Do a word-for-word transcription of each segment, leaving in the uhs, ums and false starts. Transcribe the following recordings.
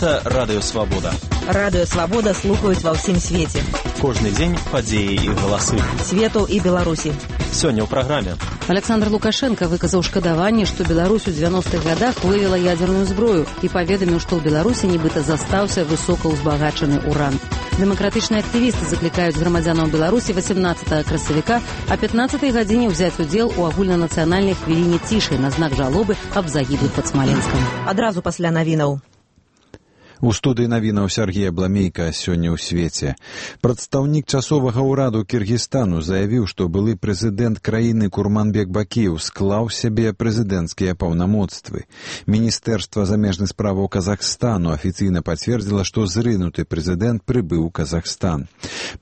Гэта Радыё Свабода. Радыё Свабода слухаюць ва ўсім свеце. Кожны дзень падзеі і галасы. Свету і Беларусі. Сёння ў праграме. Александр Лукашенко выказаў шкадаванне, што Беларусь у дзевяностых гадах вывела ядерную зброю і паведаміў, што ў Беларусі нібыта застаўся высокаўзбагачаны уран. Дэмакратычныя актывісты заклікаюць грамадзянаў Беларусі васемнаццатага красавіка а пятнаццатай гадзіне ўзяць удзел у агульнанацыянальнай хвіліне цішы на знак жалобы аб загіблых пад Смаленскам. Адразу пасля навінаў. У студыі навінаў Сергей Абламейка сёння ў свеце. Прадстаўнік часовага ўраду Кіргізстану заявіў, што былы прэзідэнт краіны Курманбек Бакіеў склаў сябе прэзідэнцкія паўнамоцтвы. Міністэрства замежных справаў Казахстану афіцыйна пацвердзіла, што зрынуты прэзідэнт прыбыў у Казахстан.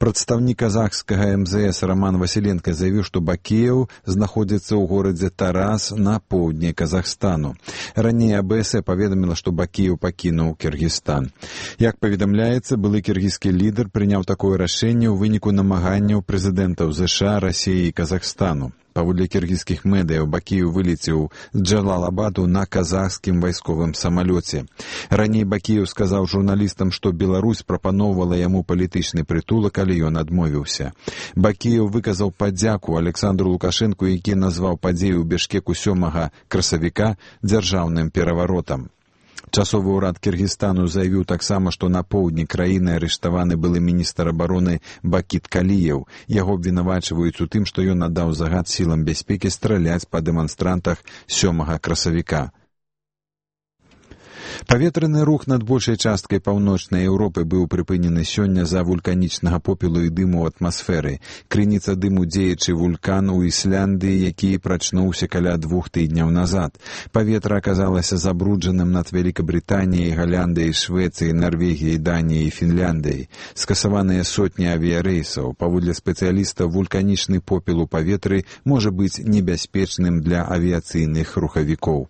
Прадстаўнік казахскага эм зэ эс Роман Васіленка заявіў, што Бакіеў знаходзіцца ў горадзе Тарас на поўдні Казахстану. Раней а бэ эс э паведаміла, што Бакіеў пакінуў Кіргізстан. Як паведамляецца, былы кіргізскі лідар прыняў такое рашэнне ў выніку намаганняў прэзідэнтаў зэ ша, Расіі і Казахстану. Паводле кіргізскіх медыяў, Бакіеў вылецеў з Джалалабаду на казахскім вайсковым самалёце. Раней Бакіеў сказаў журналістам, што Беларусь прапаноўвала яму палітычны прытулак, але ён адмовіўся. Бакіеў выказаў падзяку Александру Лукашэнку, які назваў падзею ў Бішкеку сёмага красавіка дзяржаўным пераваротам. Часовы ўрад Кіргізстану заявіў таксама, што на поўдні краіны арыштаваны былы міністр абароны Бакіт Каліеў. Яго абвінавачваюць у тым, што ён надаў загад сілам бяспекі страляць па дэманстрантах сёмага красавіка. Паветраны рух над большай часткай паўночнай Еўропы быў прыпынены сёння з-за вулканічнага попелу і дыму ў атмасферы. Крыніца дыму дзеячы вулкан у Ісляндыі, які прачнуўся каля двух тыдняў назад. Паветра аказалася забруджаным над Вялікабрытаніяй, Галяндыяй, Швецыяй, Нарвегіяй, Даніяй і Фінляндыяй. Скасаваныя сотні авіярэйсаў. Паводле спецыяліста, вулканічны попел у паветры можа быць небяспечным для авіяцыйных рухавікоў.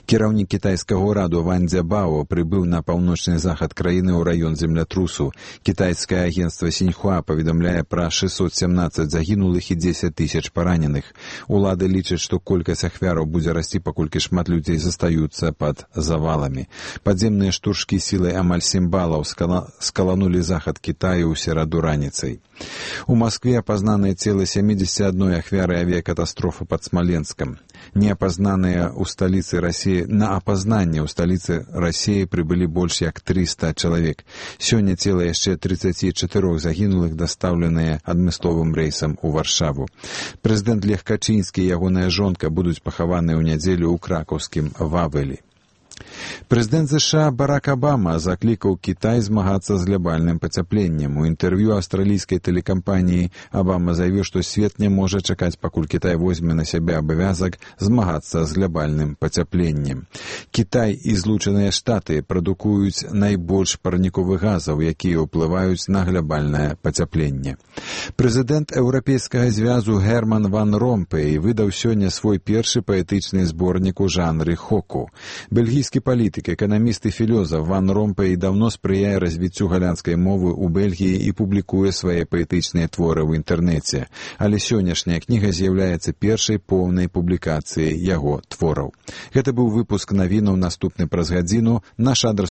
Кіраўнік кітайскага ўраду Ван Цзябао прыбыў на паўночны захад краіны ў раён землятрусу. Кітайскае агенцтва Сіньхуа паведамляе пра шэсцьсот сямнаццаць загінулых і дзесяць тысяч параненых. Улады лічаць, што колькасць ахвяраў будзе расці, паколькі шмат людзей застаюцца пад заваламі. Падземныя штуршкі сілай амаль сем балаў скала... скаланулі захад Кітаю ў сераду раніцай. У Маскве апазнаныя целы сямідзесяці адной ахвяры авіякатастрофы пад Смаленскам. Неапазнаныя ў сталіцы Расіі на апазнанне ў сталіцы Расіі прыбылі больш як трыста чалавек. Сёння цела яшчэ трыццаці чатырох загінулых дастаўленыя адмысловым рэйсам у Варшаву. Прэзідэнт Лех Качынскі і ягоная жонка будуць пахаваныя ў нядзелю ў кракаўскім Вавелі. Прэзідэнт зэ ша Барак Абама заклікаў Кітай змагацца з глобальным пацяпленнем. У інтэрв'ю аўстралійскай тэлекампаніі Абама заявіў, што свет не можа чакаць, пакуль Кітай возьме на сябе абавязак змагацца з глобальным пацяпленнем. Кітай і Злучаныя Штаты прадукуюць найбольш парніковых газаў, якія ўплываюць на глобальнае пацяпленне. Прэзідэнт Еўрапейскага звязу Герман Ван Ромпей выдаў сёння свой першы паэтычны зборнік у жанры хоку. Бельгійскі палітык, эканаміст і філёзаф Ван Ромпей даўно спрыяе развіццю галандскай мовы ў Бельгіі і публікуе свае паэтычныя творы ў інтэрнэце. Але сённяшняя кніга з'яўляецца першай поўнай публікацыяй яго твораў. Гэта быў выпуск навінаў, наступны праз гадзіну. Наш адрас